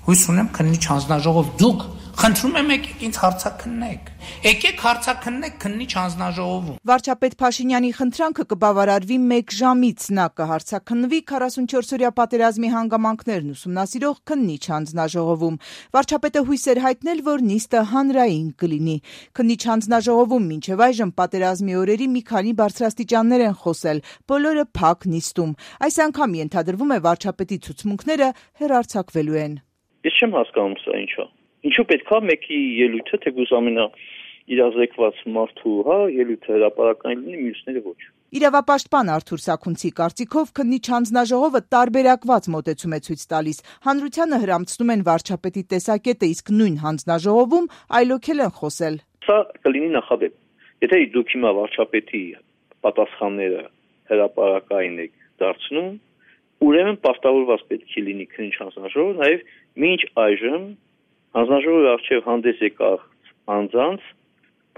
Հույս ունեմ քննիչ հանձնաժողով դուք խնդրում եմ եկեք ինձ հարցաքննեք։ Եկեք հարցաքննեք քննիչ հանձնաժողովում։ Վարչապետ Փաշինյանի խնդրանքը կբավարարվի 1 ժամից, նա կհարցաքննվի 44-օրյա պատերազմի հանգամանքներն ուսումնասիրող քննիչ հանձնաժողովում։ Վարչապետը հույս էր հայտնել, որ նիստը հանրային կլինի։ Քննիչ հանձնաժողովում մինչև այժմ պատերազմի օրերի մի քանի բարձրաստիճաններ են խոսել, բոլորը փակ նիստում։ Այս անգամ ենթադրվում է վարչապետի ցուցմունքները հեռարձակվելու են։ Ես չեմ հասկանում սա ինչա։ Ինչու պետքա մեկի ելույթը թեկուզ իրազեկված մարդու, ելույթը հրապարակային լինի, մյուսները ոչ։ Իրավապաշտպան Արթուր Սաքունցի կարծիքով քննիչ հանձնաժողովը տարբերակված մոտեցում է ցույց տալիս։ Հանրությանը հրամցնում են վարչապետի տեսակետը, իսկ նույն հանձնաժողովում այլոքել են խոսել։ Սա կլինի նախադեպ։ Եթե դուք հիմա վարչապետի պատասխանները հրապարակային եք դարձնում, ուրեմն պարտավորված պետք է լինի քննիչ հանձնաժողովը նաև մինչ այժմ հանձնաժողովի առջև հանդես եկած անձանց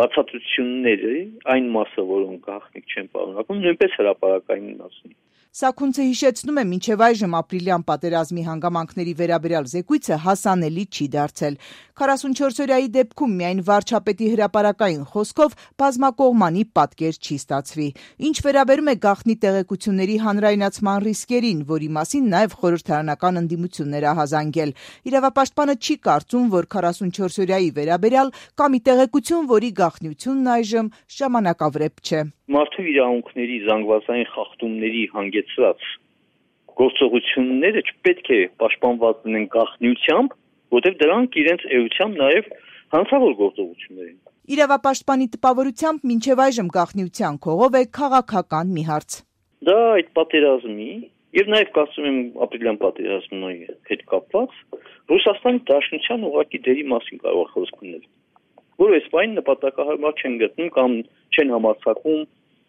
բացատրությունների այն մասը, որոնք գաղտնիք չեն պարունակում, նույնպես հրապարակային մնացնի։ Սաքունցը հիշեցնում է, մինչև այժմ ապրիլյան պատերազմի հանգամանքների վերաբերյալ զեկույցը հասանելի չի դարձել։ 44-օրյայի դեպքում միայն վարչապետի հրապարակային խոսքով բազմակողմանի պատկեր չի ստացվի։ Ինչ վերաբերում է գաղտնի տեղեկությունների հանրայնացման ռիսկերին, որի մասին նաև խորհրդարանական ընդդիմություններ ահազանգել։ Իրավապաշտպանը չի կարծում, որ 44-օրյայի վերաբերյալ կա մի տեղեկություն, որի գաղտնիությունն այժմ ժամանակավրեպ չէ։ Մարդու իրավունքների զանգվածային խախտումների հանգեցրած գործողությունները չպետք է պաշտպանված լինեն գաղտնիությամբ, որտեղ դրանք իրենց էությամբ նաև հանցավոր գործողություններ են։ Իրավապաշտպանի տպավորությամբ մինչև այժմ գաղտնիության քողով է քաղաքական մի հարց։ Դա այդ պատերազմի եւ նաև կարծում եմ ապրիլյան պատերազմի հետ կապված Ռուսաստանի Դաշնության ուղղակի դերի մասին կարող խոսք լինել, որը այս բանը նպատակահարմար չեն գտնում կամ չեն համարձակում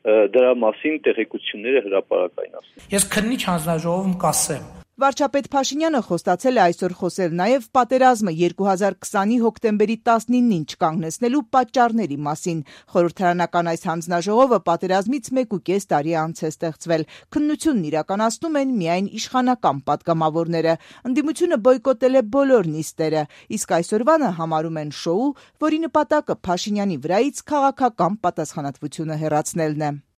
դրա մասին տեղեկությունները հրապարակայնացնել։ Ես քննիչ հանձնաժողովում կասեմ։ Վարչապետ Փաշինյանը խոստացել է այսօր խոսել նաև պատերազմը 2020-ի հոկտեմբերի 19-ին չկանգնեցնելու պատճառների մասին։ Խորհրդարանական այս հանձնաժողովը պատերազմից 1.5 տարի անց է ստեղծվել։ Քննությունն իրականացնում են միայն իշխանական պատգամավորները։ Ընդդիմությունը բոյկոտել է բոլոր նիստերը, իսկ այսօրվանը համարում են շոու, որի նպատակը Փաշինյանի վրայից քաղաքական պատասխանատվությունը հեռացնելն է։